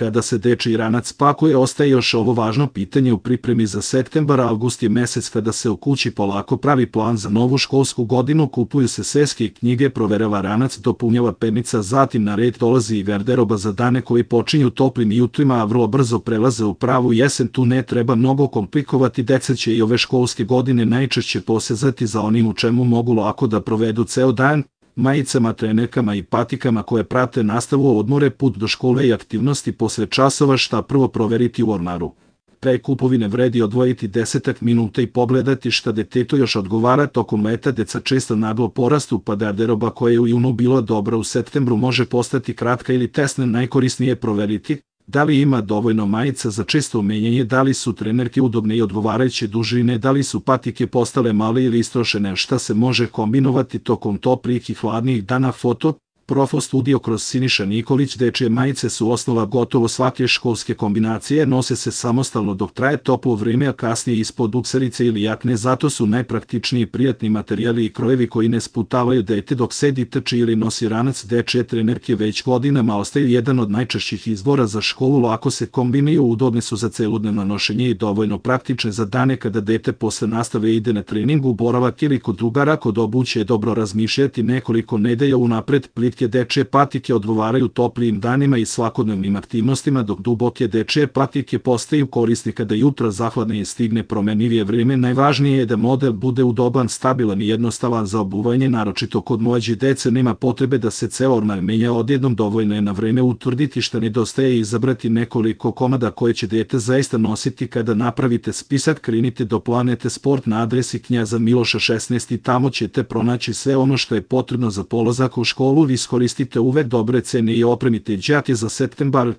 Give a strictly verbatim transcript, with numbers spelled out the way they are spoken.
Kada se dečiji ranac pakuje, ostaje još ovo važno pitanje u pripremi za septembar. Avgust je mesec kada se u kući polako pravi plan za novu školsku godinu, kupuju se sveske i knjige, proverava ranac, dopunjava pernica, zatim na red dolazi i garderoba za dane koji počinju toplim jutrima, a vrlo brzo prelaze u pravu jesen. Tu ne treba mnogo komplikovati, deca će i ove školske godine najčešće posezati za onim u čemu mogu lako da provedu ceo dan, majicama, trenerkama i patikama koje prate nastavu, odmore, put do škole i aktivnosti posle časova. Šta prvo proveriti u ormaru? Pre kupovine vredi odvojiti desetak minuta i pogledati šta detetu još odgovara. Tokom leta deca često naglo porastu, pa garderoba koja je u junu bila dobra u septembru može postati kratka ili tesna. Najkorisnije je proveriti da li ima dovoljno majica za često menjanje, da li su trenerke udobne i odgovarajuće dužine, da li su patike postale male ili istrošene, šta se može kombinovati tokom toplih i hladnih dana. Foto Profo Studio kroz Siniša Nikolić. Dečije majice su osnova gotovo svake školske kombinacije, nose se samostalno dok traje toplo vrijeme, a kasnije ispod bukserice ili jakne, zato su najpraktičniji prijatni materijali i krojevi koji ne sputavaju dete dok sedi, trči ili nosi ranac. Dečije trenerke već godinama ostaju jedan od najčešćih izbora za školu, lako se kombinuju, udobne su za celodnevno nošenje i dovoljno praktične za dane kada dete posle nastave ide na trening, boravak ili kod drugara. Kod obuće je dobro razmišljati nekoliko nedelja unapred. Plitke dečije patike odgovaraju toplijim danima i svakodnevnim aktivnostima, dok duboke dečije patike postaju korisne kada jutra zahladne i stigne promenljivije vrijeme. Najvažnije je da model bude udoban, stabilan i jednostavan za obuvanje, naročito kod mlađe dece. Nema potrebe da se ceo ormar menja odjednom, dovoljno je na vreme utvrditi šta nedostaje i izabrati nekoliko komada koje će dete zaista nositi. Kada napravite spisak, krenite do Planete Sport na adresi Knjaza Miloša šesnaest i tamo ćete pronaći sve ono što je potrebno za polazak u školu. Iskoristite uvek dobre cene i opremite đake za septembar.